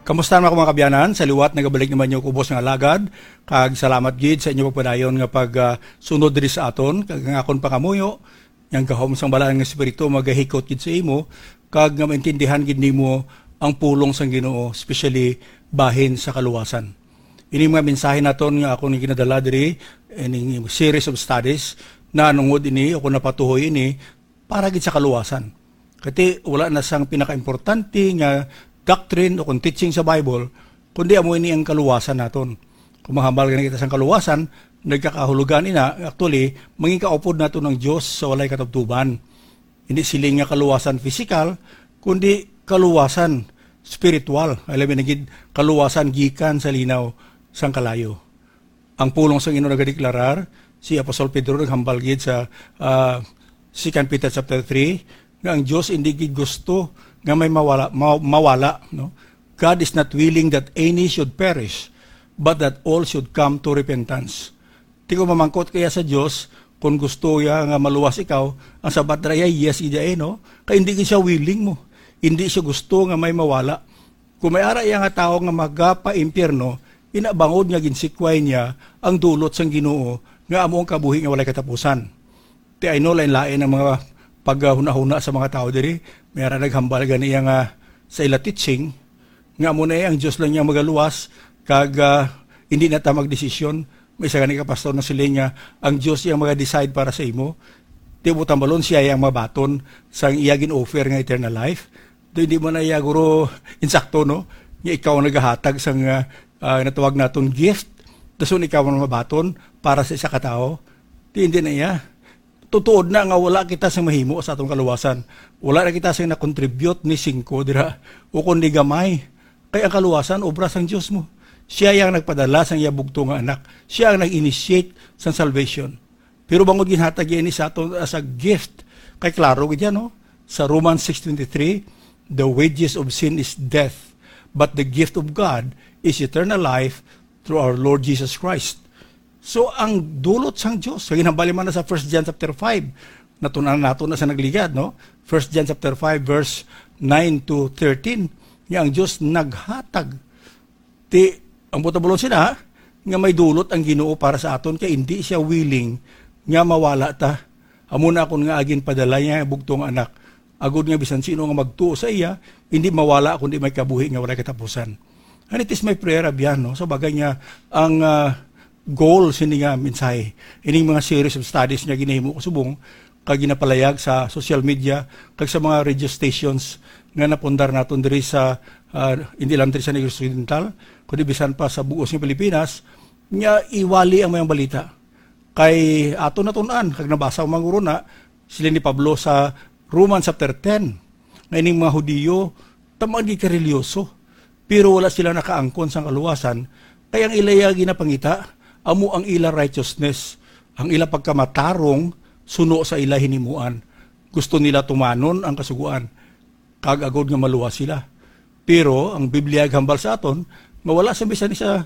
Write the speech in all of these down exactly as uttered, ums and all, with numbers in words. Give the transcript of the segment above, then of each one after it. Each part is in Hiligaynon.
Kamusta naman, mga kabyanan? Sa liwat, nagabalik naman yung kubos nga alagad, kag salamat gid sa inyo pagpadayon nga pag, ah, sunod diri sa aton, kag ang akon pangamuyo, yang gahom sang Balaan nga Espiritu magahikot gid sa imo, kag nga maintindihan gid nimo ang pulong sang Ginoo, especially bahin sa kaluwasan. Ini mga mensahe naton nga akon ginadala diri, ining series of studies, na nungod ini o kung napatuhoy ini, para gid sa kaluwasan. Kati wala na sang pinakaimportante nga doctrine o kung teaching sa Bible, kundi amo ini ang kaluwasan naton. Kung mahambal gani kita sang kaluwasan, nagkakahulugan ina, actually, mangin kaupod naton ang Dios sa walay katubtuban. Hindi siling nga kaluwasan pisikal, kundi kaluwasan spiritual. Alam mo na gid, kaluwasan gikan sa linaw sang kalayo. Ang pulong sang Ginoo nagadeklarar, si Apostol Pedro naghambal gid sa, ah, Second Peter chapter three, nga ang Dios hindi gid gusto nga may mawala, ma-, mawala, no? "God is not willing that any should perish, but that all should come to repentance." Ti ko mamangkot kaya sa Dios, kung gusto ya nga maluwas ikaw, ang sabat ra iya, yes gid iya, eh, no? Kay hindi gid siya willing mo. Hindi siya gusto nga may mawala. Kung may ara iya nga tawo nga magapaimpyerno, ina bangod nga ginsikway niya ang dulot sang Ginoo nga amo ang kabuhi nga walay katapusan. Ti, I know, lain-lain ang mga paghunahuna sa mga tawo diri. May ara naghambal gani iya nga sa ila teaching nga amo na ang Dios lang niya magaluwas, kag, ah, hindi na ta magdesisyon. May isa gani ka pastor na siling nga ang Dios ang maga-decide para sa imo. Ti mo tambalon siya ang mabaton sang iya gin-offer nga eternal life. Do hindi mo na iya guro insakto, no? Nga ikaw ang nagahatag sang, ah, ah, natawag naton gift. Dason ikaw ang mabaton para sa isa ka tawo. Ti hindi na iya. Tutuod na nga wala kita sa mahimo sa atong kaluwasan. Wala na kita sa na-contribute ni singko dira, o kundi gamay. Kay ang kaluwasan, obra sang Dios mo. Siya yang nagpadala sang iya bugto nga anak. Siya ang nag-initiate sang salvation. Pero bangod ginhatag niya ini sa aton as a gift, kay klaro gid yan, no? Sa Romans six twenty-three, "The wages of sin is death, but the gift of God is eternal life through our Lord Jesus Christ." So, ang dulot sang Dios, kay ginhambali man na sa First John chapter five, natun-an nato na sa nagligad, no? First John chapter five, verse nine to thirteen, nga ang Dios naghatag. Ti, ang buot-, buot sina, nga may dulot ang Ginoo para sa aton, kay hindi siya willing nga mawala ta. Amo na akon nga agin padala niya ang bugtong nga anak, agod nga bisan sino nga magtuo sa iya, hindi mawala, kundi may kabuhi nga walay katapusan. And it is my prayer, abyan, no? Sa bagay nga, ang, ah, goal sini nga mensahe, ining mga series of studies nga ginahimo ko subong, kag ginapalayag sa social media, kag sa mga radio stations nga napundar naton diri sa, ah, hindi lang diri sa Negros Occidental, kundi bisan pa sa buos nga Pilipinas, nga iwali ang mayang balita. Kay ato natun-an, kag nabasa ang mga guro na, sila ni Pablo sa Romans chapter ten, nga ining mga Hudiyo, taman gid kareliyoso, pero wala sila nakaangkon sang kaluwasan, kay ang ila iya ginapangita, amo ang ila righteousness, ang ila pagkamatarong suno sa ila hinimuan. Gusto nila tumanon ang Kasugoan, kag agod nga maluwas sila. Pero ang Biblia gahambal sa aton nga wala sa bisan isa,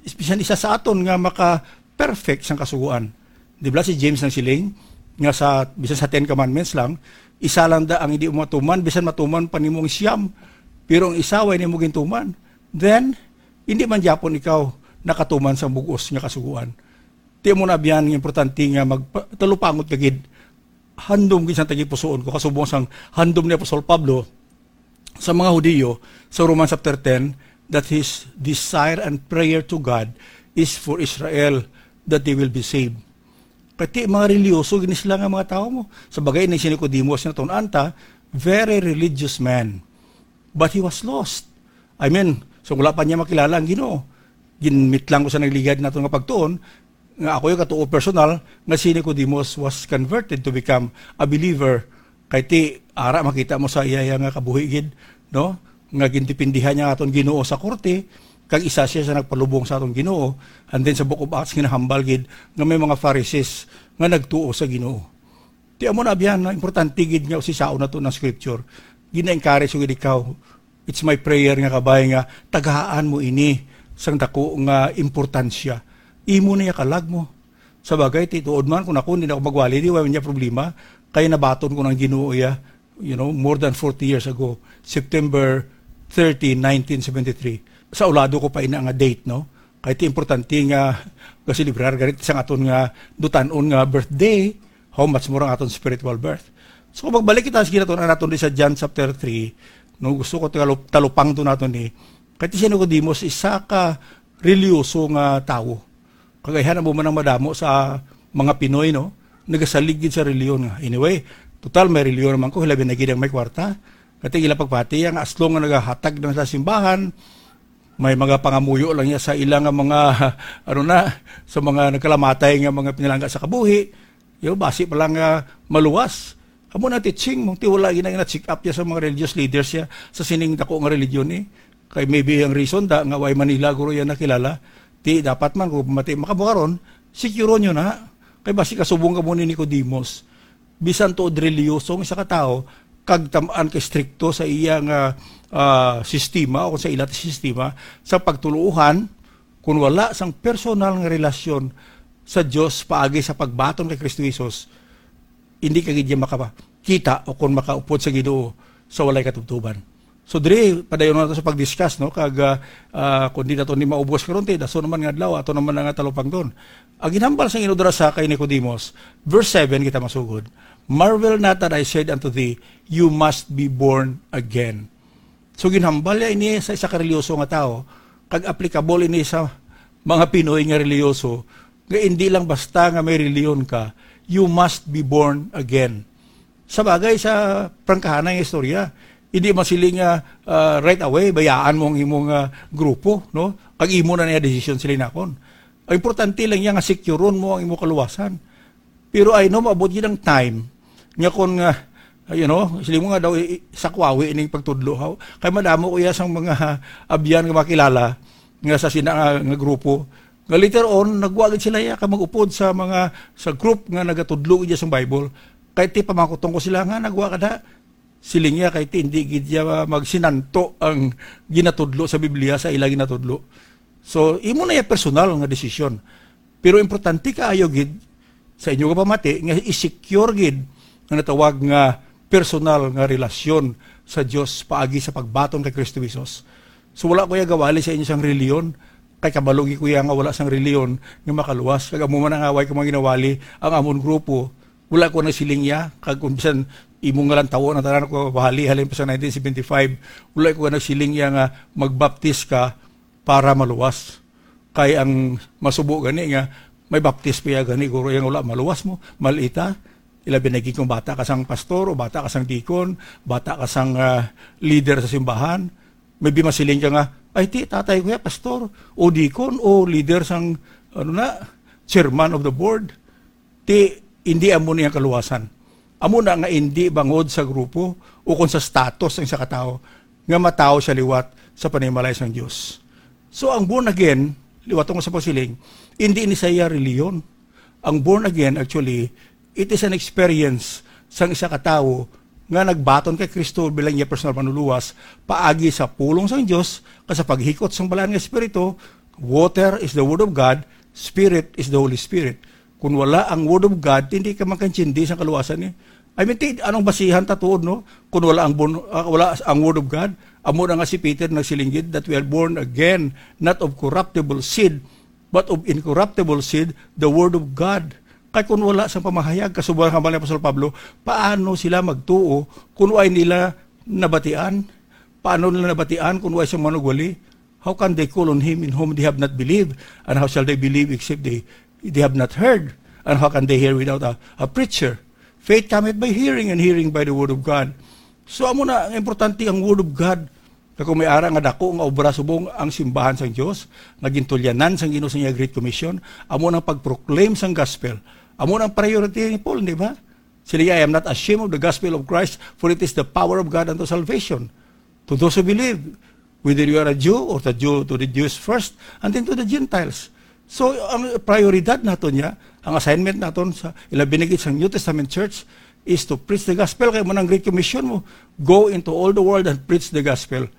bisan isa sa aton nga maka-perfect sang Kasugoan. Di ba si James nang siling nga sa, bisan sa Ten Commandments lang, isa lang da ang hindi mo matuman, bisan matuman pa nimo ang siyam, pero ang isa way nimo gintuman, then hindi man gyapon ikaw nakatuman sa bug-os nga Kasugoan. Ti mo na biyan nga importante nga magpa-, talupangot ka gid. Handom gid sang tagipusoon ko, kasubong sang handom ni Apostol Pablo sa mga Hudiyo sa Romans chapter ten, that his desire and prayer to God is for Israel, that they will be saved. Kay ti mga reliyoso gini sila nga mga tawo mo. Sa bagay ni si Nicodemus na tun-an ta, very religious man. But he was lost. I mean, so wala pa niya makilala ang Ginoo. Ginmit lang ko sa nagligad nato nga pagtuon, nga ako yung katuo personal, nga si Nicodemus was converted to become a believer. Kay ti, ara makita mo sa iya, iya nga kabuhi gid, no? Nga gintipindihan niya aton Ginoo sa korte, kag isa siya sa nagpalubong sa aton Ginoo. And then sa Book of Acts, ginahambal gid nga may mga Pharisees nga nagtuo sa Ginoo. Ti amo na biyan, no? Importante gid nga usisaon nato ng scripture. Gina-encourage ko gid ikaw. It's my prayer nga kabay nga tagaan mo ini sang dako nga importansya. Imo na iya kalag mo. Sa bagay, ti tuod man, kung ako, hindi na ako magwali, di, wala niya problema. Kaya nabaton ko ng Ginoo iya, you know, more than forty years ago, September thirty, nineteen seventy-three. Sa ulado ko pa ina nga date, no? Kay ti importante nga ga-celebrar gani sang aton nga dutan-on nga birthday, how much more ang aton spiritual birth. So, kung magbalik kita sa ginatun-an naton di sa John chapter three, no, gusto ko talup-, talupangton naton ni, kay ti si Nicodemus, isa ka reliyoso nga tawo. Kag ayhan amo man ang madamo sa mga Pinoy, no? Nagasalig gid sa reliyon nga. Anyway, total may reliyon naman ko, hilabi na gid ang may kwarta. Kati ila pagpati, ang aslong nga nagahatag na sa simbahan, may mga pangamuyo lang niya sa ila nga mga, ano na, sa mga nagkalamatay nga mga pinalangga sa kabuhi. Yo, basi pa lang nga maluwas. Amo na teaching mo, ti wala gina, gina-check up niya sa mga religious leaders niya sa sining dako nga religion, eh. Kay maybe ang reason da nga way Manila guro iya nakilala. Ti dapat man kung mati makabukaron, secure nyo na. Kay basi kasubong ka mo ni Nicodemus. Bisan tuod reliyoso ang isa ka tawo, kag tam-an ka estrikto sa iya nga, ah, sistema o sa ila sistema sa pagtuluohan, kun wala sang personal nga relasyon sa Dios paagi sa pagbaton kay Kristo Jesus, hindi ka gid niya makakita o kon makaupod sa Ginoo sa walay katubtoban. So, diri, padayon nato sa pag-discuss, no? Kag, ah, ah, kung di nato ni maubos karon, ti, dason naman nga adlaw, ato naman nga talupangton. Ang ginhambal sang Ginoo dira sa kay Nicodemus, verse seven kita masugod, "Marvel not that I said unto thee, you must be born again." So, ginhambal niya ini sa isa ka reliyoso nga tawo, kag applicable ini sa mga Pinoy nga reliyoso, nga hindi lang basta nga may reliyon ka, you must be born again. Sa bagay, sa prangkahanay nga istorya, hindi man sila nga, ah, right away, bayaan mo ang imong, ah, grupo, no? Kag imo na niya desisyon sila nakon. Ang importante lang niya nga securon mo ang imong kaluwasan. Pero I know, maabot gid ang time nga kon nga, you know, sila mo nga daw, i-, i-, sakwawi ining pagtudlo, haw. Kay madamo ko iya sang mga abyan nga makilala nga sa sina nga, nga grupo. Nga later on, nagwa gid sila iya ka mag-upod sa mga, sa group nga nagatudlo gid sang Bible. Kay ti pamangkuton ko sila nga nagwa ka da. Siling niya kay ti hindi gid niya magsinanto ang ginatudlo sa Biblia sa ila ginatudlo. So, imo na iya personal nga desisyon. Pero importante kaayo gid sa inyo nga pamati nga i-secure gid nga natawag nga personal nga relasyon sa Dios paagi sa pagbaton kay Kristo Jesus. So, wala ko iya gawali sa inyo sang reliyon, kay kabalo gid ko iya nga wala sang reliyon nga makaluwas. Kag amo man ang away ko mga ginawali ang amon grupo. Wala ko nagsiling iya, kag kung bisan imo nga lang tawo na tanan ko bahali halin pa sa nineteen seventy-five, wala ko nagsiling iya nga magbaptis ka para maluwas. Kay ang masubo gani nga may baptis pa iya gani, guro, iya nga wala maluwas mo, malita. Ilabi na gid kung bata ka sang pastor o bata ka sang deacon, bata ka sang, ah, leader sa simbahan. Maybe masiling ka nga, "Ay, ti, tatay ko ya, pastor, o deacon, o leader sang, ano na, chairman of the board." Ti, hindi amo ni ang kaluwasan. Amo na nga hindi bangod sa grupo o kon sa status ang isa ka tawo nga matawo siya liwat sa panimalay sang Dios. So, ang born again, liwat ko sa pagsiling, hindi ni siya reliyon. Ang born again, actually, it is an experience sang isa ka tawo nga nagbaton kay Kristo bilang iya personal manluluwas paagi sa pulong sang Dios kag sa paghikot sang Balaan nga Espiritu. Water is the Word of God, Spirit is the Holy Spirit. Kung wala ang Word of God, hindi ka makaintindi sa kaluwasan, eh. I mean, ti-, anong basihan ta tuod, no? Kung wala ang bon-, ah, wala ang Word of God, amo na nga si Peter nagsiling gid that we are born again, not of corruptible seed, but of incorruptible seed, the Word of God. Kay kung wala sang pamahayag, kasubay ang hambal ni Apostol Pablo, paano sila magtuo kung way nila nabatian? Paano nila nabatian kung way sang manugwali? How can they call on him in whom they have not believed? And how shall they believe except they, they have not heard? And how can they hear without a, a preacher? Faith cometh by hearing, and hearing by the word of God. So, amo na, ang importante ang word of God. Kag kung may ara nga dako nga obra subong ang simbahan sang Dios, nga gintulyanan sang Ginoo sa iya Great Commission, amo nang pag-proclaim sang gospel. Amo nang priority ni Paul, di ba? Sila, "I am not ashamed of the gospel of Christ, for it is the power of God unto salvation to those who believe, whether you are a Jew or the Jew, to the Jews first, and then to the Gentiles." So, ang prioridad naton niya, ang assignment naton sa, ilabi na gid sa New Testament Church, is to preach the gospel. Kay mo nang Great Commission mo, "Go into all the world and preach the gospel."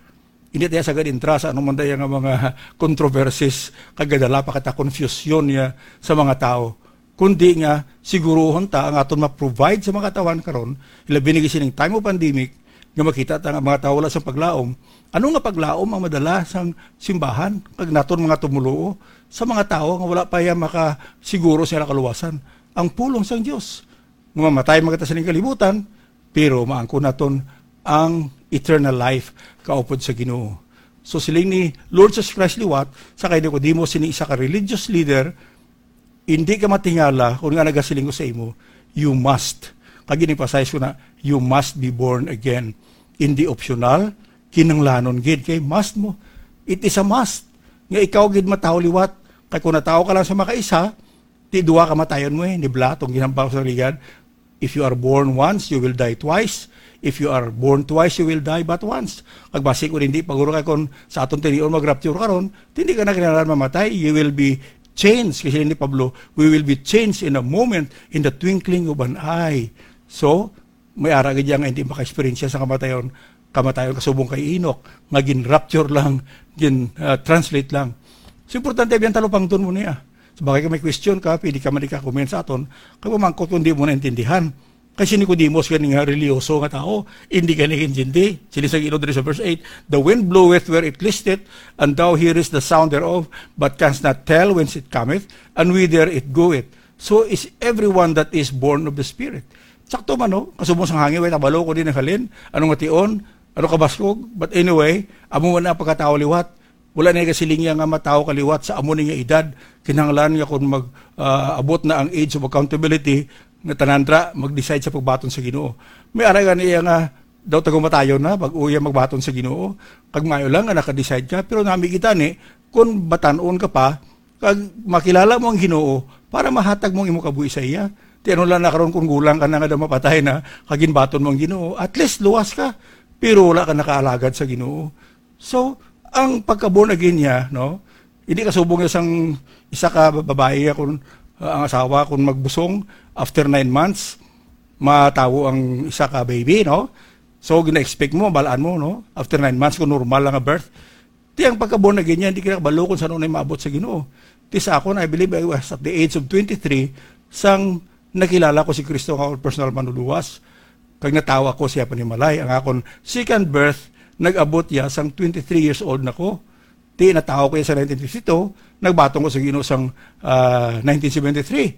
Hindi tayo sagad intra sa anong man daya nga mga controversies, kag gadala pa kita confusion niya sa mga tao. Kundi nga, siguruhon ta ang aton ma-provide sa mga katawhan karon, ilabi na gid sining time of pandemic, nga makita ta nga mga tawo wala sang paglaom. Ano nga paglaom ang madala sang simbahan kag naton mga tumuluo sa mga tawo nga wala pa ya makasiguro sa ila kaluwasan? Ang pulong sang Dios nga mamatay man kita sa ning kalibutan, pero maangkon naton ang eternal life kaupod sa Ginoo. So siling ni Lord Jesus Christ liwat sa kay Nicodemo, sini isa ka religious leader, "Hindi ka matingala kung nga nagasiling ko sa imo, you must." Kag gin-emphasize ko na, "You must be born again." Hindi optional, kinahanglanon gid, kay must mo. It is a must nga ikaw gid matawo liwat. Kay kung natawo ka lang sa makaisa, ti duha ka matayon mo eh, nibla tong ginhambal sa ligad. If you are born once, you will die twice. If you are born twice, you will die but once. Kag basi kung hindi pa guro kay kung sa aton tinion mag-rapture karon, hindi ka na kinahanglan mamatay. You will be changed. Kasi ni Pablo, "We will be changed in a moment, in the twinkling of an eye." So, may ara gid nga hindi maka-experience sa kamatayon, kamatayon kasubong kay Enoch, nga gin-rapture lang, gin-, ah, translate lang. So, importante, biyang talupangton mo niya. So, bagay ka may question ka, pwede ka man ka-comment sa aton. Kay mamangkot kung di mo naintindihan. Kay si Nicodemus, gani nga reliyoso nga tao, hindi ka nag-intindi. Sila sa Ginoo diri sa verse eight, "The wind bloweth where it listeth, and thou hearest the sound there'of, but canst not tell whence it cometh, and whither it goeth. So is everyone that is born of the Spirit." Sakto man, no? Kasubong sang hangin, way tabalo ko din naghalin. Ano nga tion? Ano kabaskog? But anyway, amo man ang pagkatao liwat. Wala na kasiling niya nga matawo ka liwat sa amo ni nga edad. Kinahanglan nga kung mag, ah, abot na ang age of accountability, nga tanan ra mag-decide sa pagbaton sa Ginoo. May ara gani iya nga daw tagumatayon na pag uya magbaton sa Ginoo. Kag maayo lang nga naka-decide ka, pero nami kita ni kung batan-on ka pa, kag makilala mo ang Ginoo para mahatag mo ang imo kabuhi sa iya. Ti ano lang na karon kung gulang ka na nga daw mapatay na, kag ginbaton mo ang Ginoo, at least luwas ka. Pero wala ka nakaalagad sa Ginoo. So, ang pagka-born again niya, no? Hindi kasubong niya sang isa ka babayi nga kung, uh, ang asawa kung magbusong, after nine months, matawo ang isa ka baby, no? So, gina-expect mo, balaan mo, no? After nine months, kung normal lang ang birth. Ti ang pagka-born again niya, hindi ka kabalo kung saan na maabot sa Ginoo. Ti sa akon, I believe I was at the age of twenty-three, sang nakilala ko si Kristo nga akong personal manluluwas. Kag natawa ko siya panimalay. Ang akon second birth, nag-abot ya sang twenty-three years old na ko. Ti natawo ko ya sa nineteen fifty-two, nagbaton ko sa Ginoo sang, ah, nineteen seventy-three.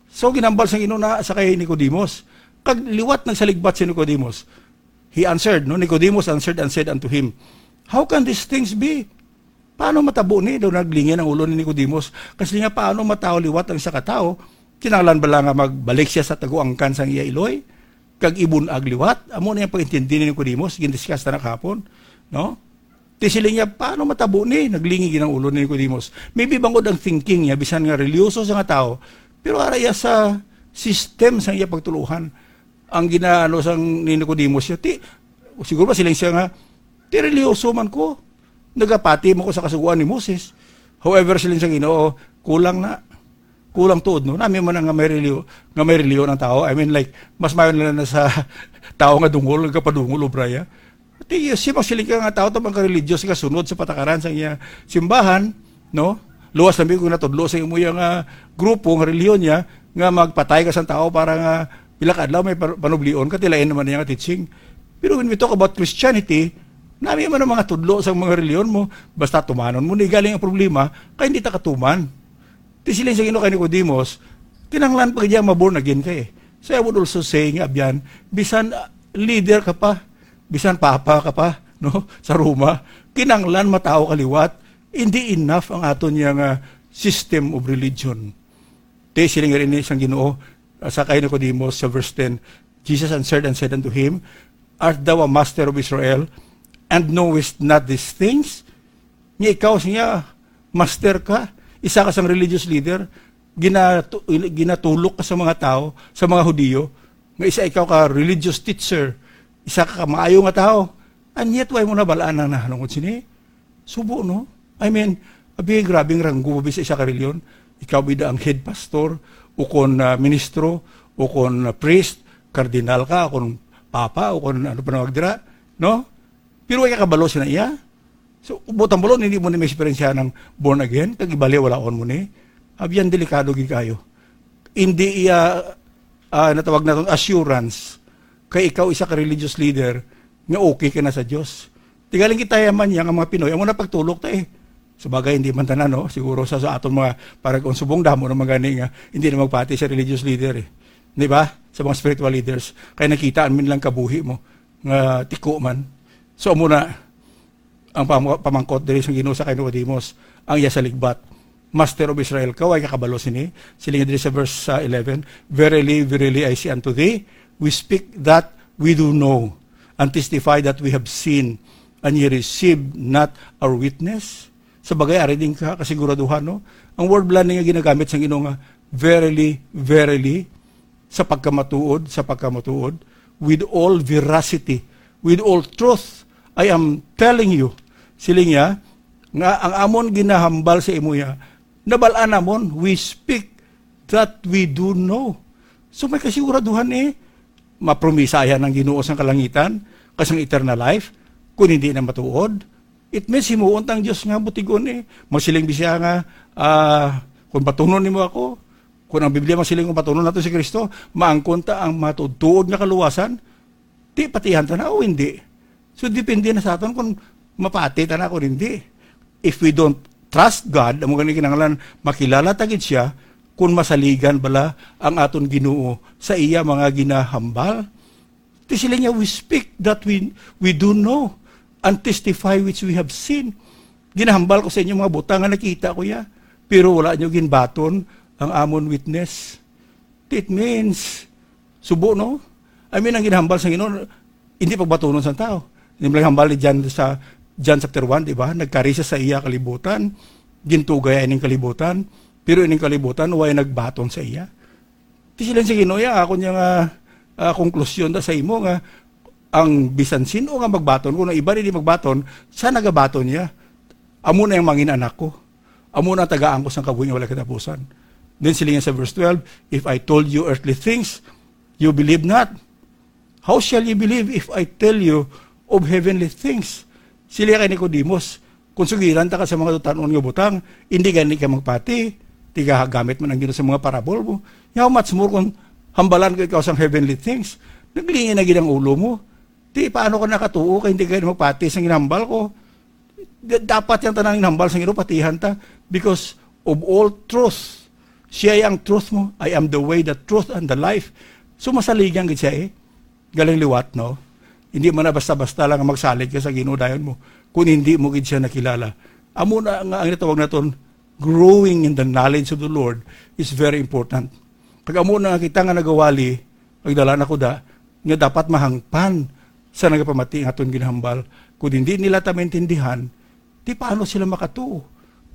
So, ginambal sa Ginoo na sa kay Nicodemus. Kag liwat nagsaligbat si Nicodemus. He answered, no, Nicodemus answered and said unto him, "How can these things be?" Paano matabo ni? Daw naglingin ang ulo ni Nicodemus. Kasi nga, paano matawo liwat ang isa ka tawo? Kinahanglan bala nga magbalik siya sa taguangkan sang iya iloy? Kag ibun-ag liwat? Amo na yung pag-intindi ni Nicodemus, gindiscuss na kahapon. No? Ti siling niya, paano matabo ni? Naglingi gid ang ulo ni Nicodemus. Maybe bangod ang thinking niya, bisan nga reliyoso sa nga tawo, pero ara iya sa system sa iya pagtuluhan. Ang ginaano sang ni Nicodemus siya, ti, siguro ba siling siya nga, ti reliyoso man ko. Nagapati mo ko sa kasugoan ni Moses. However, siling sa Ginoo, kulang na. Kulang tuod, no? Nami man nga may reliyo-, nga may reliyon ang tao. I mean, like, mas mayon na, na sa tao nga dungol, nagapadungol, obra ya. Ti, siya magsiling ka nga tao, tabang ka religious, ka sunod sa patakaran sa iya simbahan, no? Luwas na mi kung natudlo sa imo iya nga grupo, nga reliyon niya, nga magpatay ka sa tao para nga pila ka adlaw may par-, panublion ka, tilain naman niya nga teaching. Pero when we talk about Christianity, nami man ang mga tudlo sa mga reliyon mo, basta tumanon mo, ni galing ang problema, kay hindi ta katuman. Ti siling sa Ginoo kay Nicodemus, kinahanglan pa gid ma-born again ka eh. So I would also say nga, abyan, bisan, ah, leader ka pa, bisan papa ka pa, no, sa Roma, kinahanglan matawo ka liwat. Hindi enough ang aton niya nga system of religion. Ti siling nga rin sang Ginoo, ah, sa kay Nicodemus sa verse ten, Jesus answered and said unto him, "Art thou a master of Israel, and knowest not these things?" Nga ikaw siya, master ka, isa ka sang religious leader, ginatu-, ginatulok ka sa mga tao, sa mga Hudiyo, nga isa ikaw ka religious teacher, isa ka maayo nga tao, and yet why mo na balaan ang nahanungod sini? Subo, no? I mean, abi, grabing ranggo, abi, sa isa ka reliyon. Ikaw bida ang head pastor, o kon, ah, ministro, o kon, ah, priest, kardinal ka, o kon papa, o kon ano pa nawag dira, no? Pero wala ka kabalo sa iya. So, butang balon, hindi mo na may eksperyensya ng born again, kag ibaliwalaon mo ni. Abyan, delikado gid kayo. Hindi iya, ah, natawag naton assurance. Kay ikaw isa ka religious leader, nga okay ka na sa Dios. Tigaling kita yaman niya nga mga Pinoy, amo na pagtulok ta eh. Sa bagay, hindi man tanan, no? Siguro sa, sa aton mga paragon subong, damo naman gani nga hindi na magpati sa religious leader eh. Di ba? Sa mga spiritual leaders. Kaya nakita man lang kabuhi mo nga tiko man. So, amo na ang pam-, pamangkot diri sa Ginoo sa kay Nicodemus, ang iya sa ligbat. Master of Israel ka, way ka kabalo sini? Siling diri sa verse, uh, eleven, "Verily, verily, I say unto thee, we speak that we do know, and testify that we have seen, and ye receive not our witness." Sa bagay, ari din ka kasiguraduhan, no? Ang word bala nga ginagamit sa Ginoo nga, "Verily, verily," sa pagkamatuod, sa pagkamatuod, with all veracity, with all truth, I am telling you, siling niya, nga ang amon ginahambal sa imo ya, nabal-an namon, we speak that we do know. So may kasiguraduhan eh, mapromisahan ang Ginoo sang kalangitan, kasang eternal life, kung hindi na matuod, it means himuon tang Dios nga butigon eh. Masiling bi siya nga, ah, "Kung batunon nimo ako," kung ang Biblia masiling, "Kung batunon nato si Kristo, maangkon ta ang matuod-tuod nga kaluwasan," di patihan ta na o hindi. So, depende na sa aton kung mapati ta na o hindi. If we don't trust God, amo gani kinahanglan makilala ta gid siya, kung masaligan bala ang aton Ginoo sa iya mga ginahambal. Ti sila niya, "We speak that we, we do know, and testify which we have seen." Ginahambal ko sa inyo mga butang nga nakita ko ya, pero wala nyo ginbaton ang amon witness. It means, subo, no? I mean, ang ginahambal sa Ginoo, hindi pagbatunon sa tao. Hindi mo lang hambal ni John sa John chapter one, di ba? Nagkari siya sa iya kalibutan, gintugay ining kalibutan, pero ining kalibutan, way nagbaton sa iya. Ti sila sa Ginoo, ya, ako niya nga, ah, konklusyon ta sa imo nga ang bisan sin-o nga magbaton, kung ang iba hindi magbaton, sa nagabaton niya, "Amo na ang mangin anak ko. Amo na tagaan ko sang kabuhi nga wala katapusan." Then sila niya sa verse twelve, "If I told you earthly things, you believe not. How shall you believe if I tell you of heavenly things?" Sila kay Nicodemus, "Kung sugiran ta ka sa mga tutan-on nga butang, hindi gani ka magpati, tigagamit man ang Ginoo sa mga parable mo. How much more kung hambalan ko ikaw sang heavenly things?" Naglingi na gid ang ulo mo. Ti, paano ka nakatuo kay hindi ka magpati sa ginhambal ko? Da-, dapat yang tanan ginhambal sa Ginoo, patihan ta. Because of all truth, siya ang truth mo. "I am the way, the truth, and the life." So, masaligan gid siya eh. Galing liwat, no? Hindi man na basta-basta lang magsalig ka sa Ginoo dayon mo, kung hindi mo gid siya nakilala. Amo na nga ang natawag naton, growing in the knowledge of the Lord is very important. Kag amo na nga kita nga nagawali, nagdala na ko da, nga dapat mahangpan sa nagapamati nga aton ginhambal. Kung hindi nila ta maintindihan, di paano sila makatuo?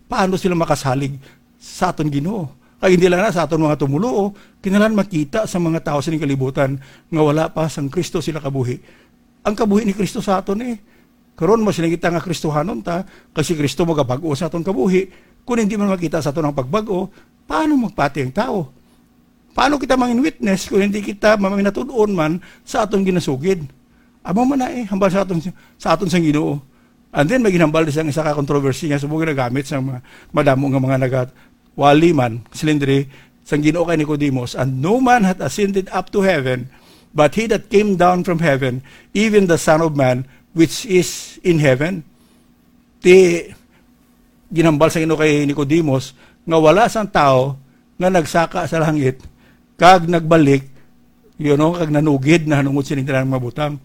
Paano sila makasalig sa aton Ginoo? Kag hindi lang na sa aton mga tumuluo, kinahanglan makita sa mga tawo sining kalibutan nga wala pa sang Kristo sila kabuhi. Ang kabuhi ni Kristo sa aton eh. Karon, masiling kita nga Kristohanon ta, kay si Kristo magabag-o sa aton kabuhi. Kung hindi man makita sa aton ang pagbag-o, paano magpati ang tawo? Paano kita mangin witness kung hindi kita maminatud-on man sa aton ginasugid? Amo man na eh, hambal sa aton, sa aton sang Ginoo. And then, may ginhambal sa isa ka controversy nga subong ginagamit sa mga madamo nga mga nagawali man, silindri, sang Ginoo kay Nicodemus, "And no man hath ascended up to heaven, but he that came down from heaven, even the Son of Man, which is in heaven." Ti, ginhambal sa Ginoo kay Nicodemus nga wala sang tawo nga nagsaka sa langit kag nagbalik, you know, kag nanugid na hanungod sining tanan nga mga butang.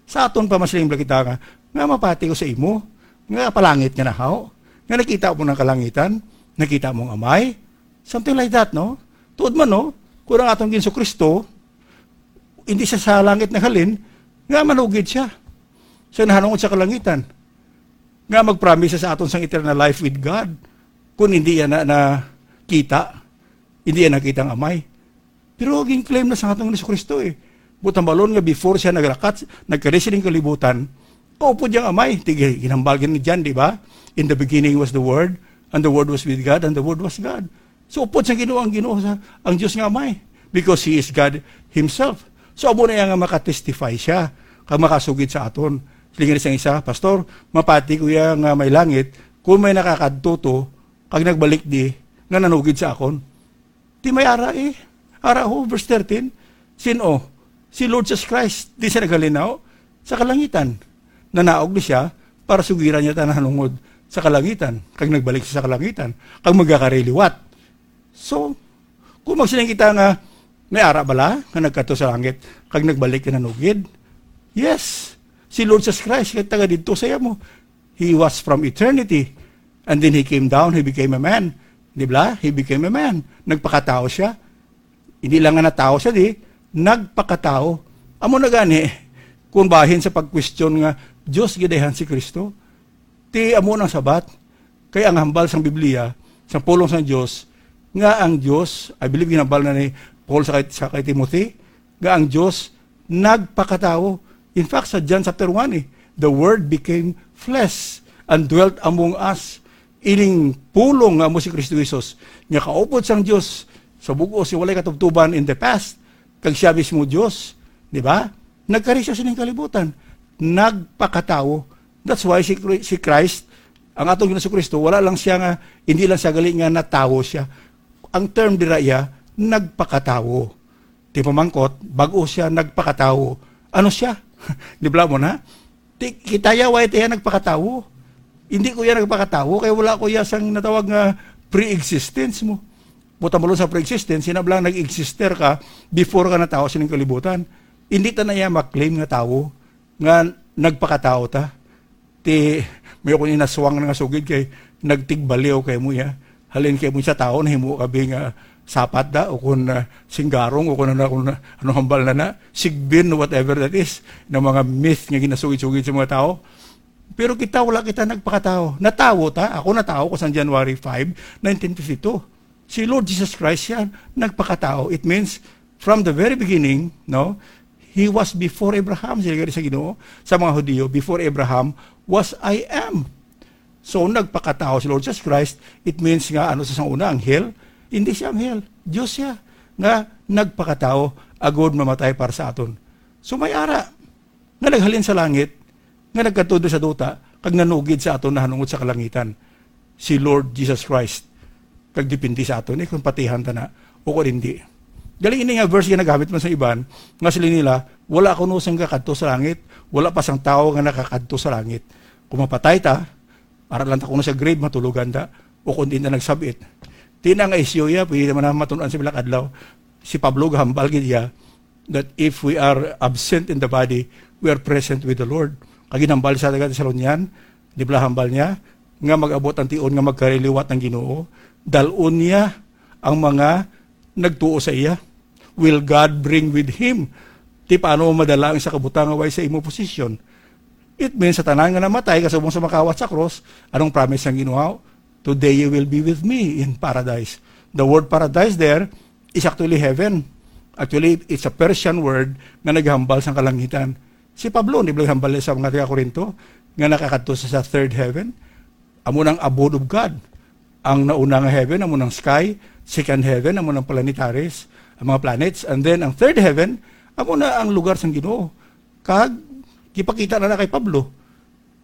Sa aton pa, masiling bala kita nga, nga mapati ko sa imo, nga palangit nga nahaw, nga nakita mo ng kalangitan, nakita mo ang Amay, something like that, no? Tuod man, no? Kung ang aton Ginoo Kristo, hindi siya sa langit naghalin, nga manugid siya. Siya nahanungod sa kalangitan. Nga mag-promise sa aton sang eternal life with God. Kung hindi yan na, nakita, hindi yan nakita ang Amay. Pero gin-claim na sa atong Jesu Cristo eh. But ang balon nga before siya nagrakat, nagkari sining kalibutan, kaupod yang Amay. Tig-, ginhambal gid ni John, di ba? "In the beginning was the Word, and the Word was with God, and the Word was God." So, upod sa Ginoo ang Ginoo sa, ang Dios nga Amay, because He is God Himself. So, amo na iya nga makatestify siya, kag makasugid sa aton. Siling sang isa, "Pastor, mapati ko iya nga may langit, kung may nakakadto to, kag nagbalik di, nga nanugid sa akon." Di may ara eh. Ara ho, verse thirteen. Sin-o? Si Lord Jesus Christ. Di siya naghalin na ho. sa kalangitan. Nanaog ni siya para sugiran niya ta nahanungod sa kalangitan, kag nagbalik siya sa kalangitan, kag magakari liwat. So, kung magsiling kita nga may ara bala nga nagkadto sa langit kag nagbalik ka nanugid? Yes. Si Lord Jesus Christ kay taga didto sa amo. He was from eternity. And then he came down, he became a man. Di ba? He became a man. Nagpakatawo siya. Hindi lang nga natawo siya, di, nagpakatawo. Amo na gani, kung bahin sa pagkwestiyon nga Dios gid ayhan si Kristo, ti amo nang sabat. Kay ang hambal sang Biblia, sang pulong sang Dios, nga ang Dios, I believe ginhambal na ni Paul sa kay, sa kay Timothy, nga ang Dios nagpakatawo. In fact, sa John chapter one, eh, "The Word became flesh and dwelt among us." Ining pulong nga amo si Kristo Jesus, nga kaupod sang Dios sa bug-os nga walay katubtuban in the past, kag siya mismo Dios, di ba? Nagkari siya sining kalibutan, nagpakatawo. That's why si Chri-, si Christ, ang atong Ginoong Kristo, wala lang siya nga, hindi lang siya gali nga natawo siya. Ang term dira iya, nagpakatawo. Ti pamangkot, bag-o siya nagpakatawo. Ano siya? Di ba mo na? Ti, kita ya, why tiya nagpakatawo? Hindi ko yan nagpakatawo, kay wala ko ya sang natawag nga pre-existence mo. Buta mo sa pre-existence, sinabi lang nag-exister ka before ka natawo sining kalibutan. Hindi ta na iya maklaim nga tawo nga nagpakatawo ta. Ti, may akong inaswang nga sugid kay nagtigbaliw kay mo ya. Halin kay mo sa tawo, nahimo ka bi nga sapat da, o kung, ah, singgarong, o kung ano, kung ano hambal na na, sigbin, whatever that is, ng mga myth nga ginasugid-sugid sa mga tao. Pero kita, wala kita nagpakatawo. Natawo ta. Ako natawo ko sa January five, nineteen fifty-two. Si Lord Jesus Christ siya nagpakatawo. It means, from the very beginning, no, He was before Abraham, siya sa Ginoo, sa mga Hudiyo, "Before Abraham was I am." So, nagpakatawo si Lord Jesus Christ, it means nga, ano sa sang una, anghel? Hindi siya anghel. Diyos siya nga nagpakatawo, agod mamatay para sa aton. So, may ara nga naghalin sa langit, nga nagkadto sa duta, kag nanugid sa aton nahanungod sa kalangitan, si Lord Jesus Christ. Kag depende sa aton, eh, kung patihan ta na o kung hindi. Galing ini nga verse nga nagamit man sa iban, nga sila nila, "Wala kuno sang kakadto sa langit, wala pa sang tawo nga nakakadto sa langit." Kung mapatay ta, ara lang ta kuno sa grave, matulogan ta, o kung di na nagsabit. Di na nga isyu ya, pwede naman na matun-an sa bilak adlaw. Si Pablo gahambal gid ya, that if we are absent in the body, we are present with the Lord. Kag ginhambal sa taga Thessalonian, di ba hambal niya, nga mag-abot ang tion nga magkariliwat ang Ginoo, dal-on niya ang mga nagtuo sa iya. Will God bring with him? Ti paano madala ang isa ka butang nga way sa imo posisyon? It means sa tanan nga namatay, kasubong sa makawat sa cross, anong promise ng Ginoo? "Today you will be with me in paradise." The word paradise there is actually heaven. Actually, it's a Persian word nga naghambal sa kalangitan. Si Pablo, di ba hambal sa mga taga Corinto, nga nakakadto sa, sa third heaven? Amo nang abode of God. Ang nauna nga heaven, amo nang sky, second heaven, amo nang planetaries, ang mga planets, and then ang third heaven, amo na ang lugar sang Ginoo. Kag, gipakita na na kay Pablo.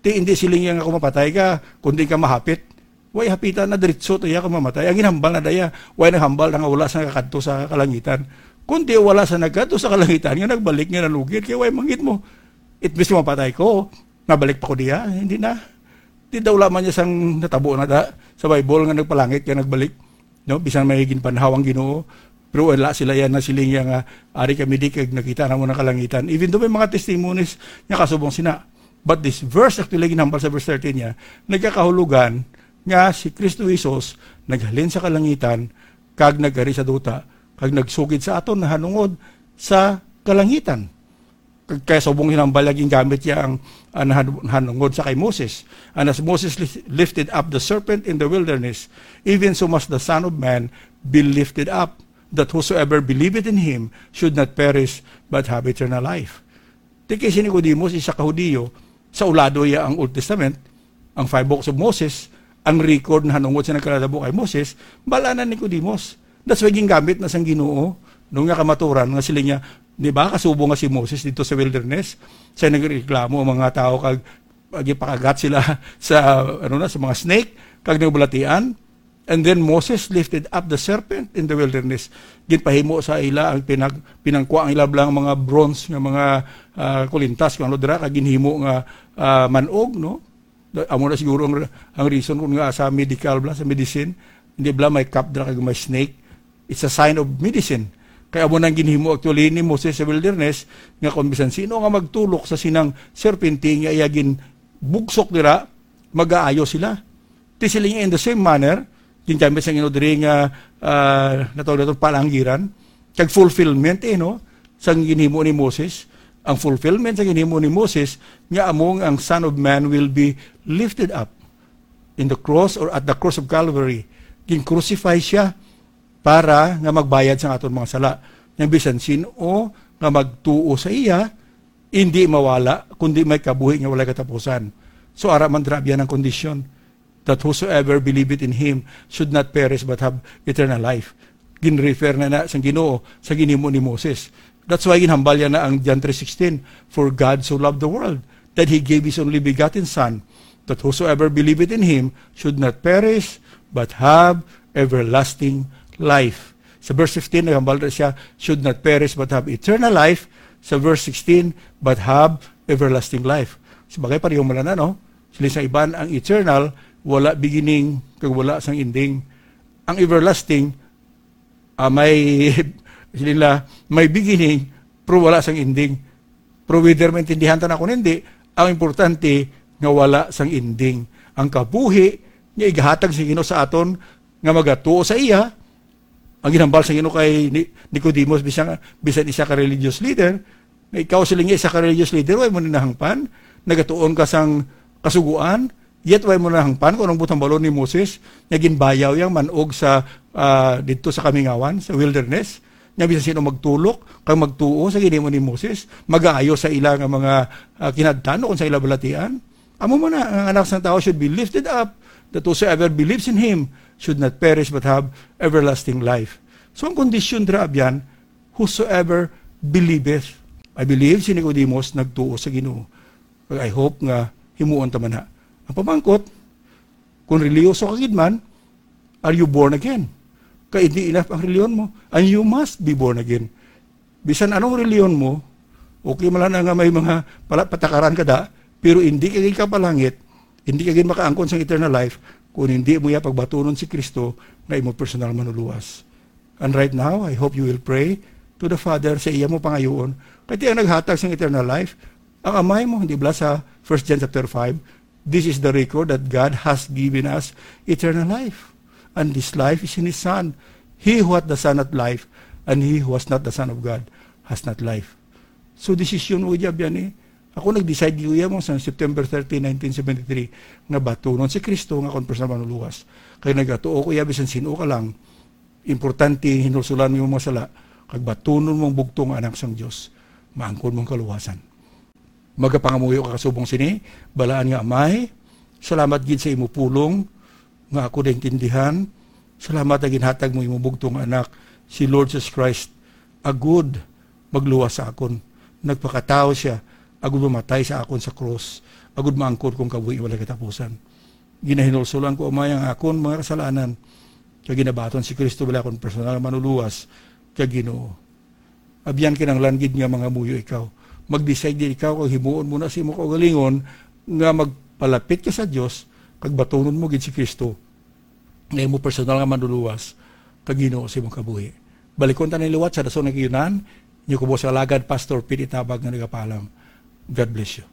Ti, hindi siling niya nga kung mapatay ka, kundi ka mahapit. Way hapita na diretso to iya kung mamatay. Ang ginhambal na daya, way naghambal na nga wala sa nakakadto sa kalangitan. Kundi wala sa nagkadto sa kalangitan, nga nagbalik nga nalugid, kay way mangit mo. It means mapatay ko, nabalik pa ko diya, hindi na. Di daw lamang niya sang natabo na da, sa Bible nga nagpalangit kay nagbalik. No? Bisan may ginpanhaw ang Ginoo, pero wala sila yan na siling niya nga, "Ari kami di kag nakita na mo ng kalangitan." Even though may mga testimonies niya kasubong sina. But this verse, actually, ginhambal sa verse thirteen niya, nagkakahulugan nga si Kristo Jesus naghalin sa kalangitan kag nagkari sa duta, kag nagsugid sa aton nahanungod sa kalangitan. Kag kaya subong hinambal niya, gingamit niya ang, ang nahan-, nahanungod sa kay Moses. "And as Moses li-, lifted up the serpent in the wilderness, even so must the Son of Man be lifted up, that whosoever believeth in him should not perish but have eternal life." Ti kay si Nicodemus, isa ka Hudiyo, sa ulado iya ang Old Testament, ang five books of Moses, ang record nahanungod sa nagkalatabo kay Moses, bala na Nicodemus. That's why gingamit na sang Ginoo, nung nga kamaturan, nga sila niya, di ba, kasubo nga si Moses dito sa wilderness, sa nagreklamo ang mga tao, kag, kag ipakagat sila sa, ano na, sa mga snake, kag nagbalatian, And then Moses lifted up the serpent in the wilderness. Ginpahimo sa ila ang pinag-, pinangkwa ang ila blang mga bronze nga mga, ah, kulintas, kung ano dira, kag ginhimo nga, ah, manog, no? Da-, amo na siguro ang, ang reason kung nga sa medical bla, sa medicine, hindi bla may cup dira kag may snake. It's a sign of medicine. Kay amo nang ginhimo actually ni Moses sa wilderness, nga kung bisan sino nga magtulok sa sinang serpente nga iya ginbugsok dira, magaayo sila. Ti sila nga in the same manner, gingamit sang ino diri nga, ah, natawag nato palanggiran, kag fulfillment, eh, no? Sang ginhimo ni Moses, ang fulfillment sa ginhimo ni Moses, nga among ang Son of Man will be lifted up in the cross or at the cross of Calvary. Gin-crucify siya para nga magbayad sa aton mga sala. Nga bisan sin-o nga magtuo sa iya, hindi mawala, kundi may kabuhi nga walay katapusan. So, ara man, dira, abyan ang kondisyon, that whosoever believeth in him should not perish but have eternal life. Gin-refer na na sang Ginoo sa ginhimo ni Moses. That's why ginhambal niya na ang John three sixteen, "For God so loved the world that he gave his only begotten Son, that whosoever believeth in him should not perish but have everlasting life." Sa verse fifteen, naghambal na siya, "Should not perish but have eternal life." Sa verse sixteen, "But have everlasting life." Sabagay, pareho man lang na, no? Sila sa iban, ang eternal, wala beginning, kag wala sang ending. Ang everlasting, ah, may, sila, may beginning, pero wala sang ending. Pero whether maintindihan ta na kung hindi, ang importante nga wala sang ending. Ang kabuhi nga igahatag sa Ginoo sa aton nga magatuo sa iya, ang ginhambal sa Ginoo kay Ni-, Nicodemus, bisan, bisan isa ka religious leader, nga ikaw, siling niya, isa ka religious leader, way mo ni nahangpan, nagatuon ka sang kasuguan, yet way mo nahangpan kung anong butang balon ni Moses, nga ginbayaw yang manog sa, ah, didto sa kamingawan, sa wilderness. Nga bisan sino magtulok, kag magtuo sa ginhimo ni Moses, magaayo sa ila nga mga, ah, kinahadlan o kung sa ila balatian. Amo man na, ang Anak sang Tawo should be lifted up, that whosoever believes in him should not perish but have everlasting life. So, ang kondisyon dira, abyan, "Whosoever believeth." I believe si Nicodemus nagtuo sa Ginoo. Kag I hope nga himuon ta man na. Ang pamangkot, kung reliyoso ka gid man, are you born again? Kay hindi enough ang reliyon mo, and you must be born again. Bisan anong reliyon mo, okay man lang na nga may mga pala-, patakaran ka da, pero hindi ka gid kapalangit, hindi ka gid makaangkon sang eternal life kung hindi mo iya pagbatunon si Kristo nga imo personal manuluwas. And right now, I hope you will pray to the Father sa iya mo pangayoon. Kay ti ang naghatag sang eternal life, ang Amay mo, di ba, sa First John chapter five, "This is the record that God has given us eternal life. And this life is in His Son. He who hath the Son hath life, and he who has not the Son of God has not life." So, decision mo, iya, biyan, eh. Ako nag-decide, iya mo, sa September thirteen, nineteen seventy-three, nga batunon si Kristo nga akon personal manuluwas. Kay nagatuo ko iya, bisan sino ka lang, importante, hinulsulan mo yung mga sala, kag batunon mong bugtong nga anak sang Dios, maangkon mong kaluwasan. Magapangamuyo ka kasubong sini, balaan nga Amay, salamat gid sa imo pulong nga ako naintindihan. Salamat nga ginhatag mo imo bugtong nga anak, si Lord Jesus Christ, agud magluwas sa akon. Nagpakatawo siya, agud mamatay sa akon sa krus, agud maangkon kong kabuhi walay katapusan. Ginahinulsulan ko, Amay, ang akon mga kasalanan, kag ginabaton si Kristo bala akon personal nga manuluwas kag Ginoo. Abyan, kinahanglan gid nga mangamuyo ikaw. Mag-decide gid ikaw kag himuon mo na sa imo kaugalingon nga magpalapit ka sa Dios kag batunon mo gid si Kristo nga imo personal nga manluluwas kag Ginoo sa imong kabuhi. Balikon ta ni liwat sa dason nga kiyunan, inyo kubos nga alagad, Pastor Pete Tabag, nga nagapaalam. God bless you.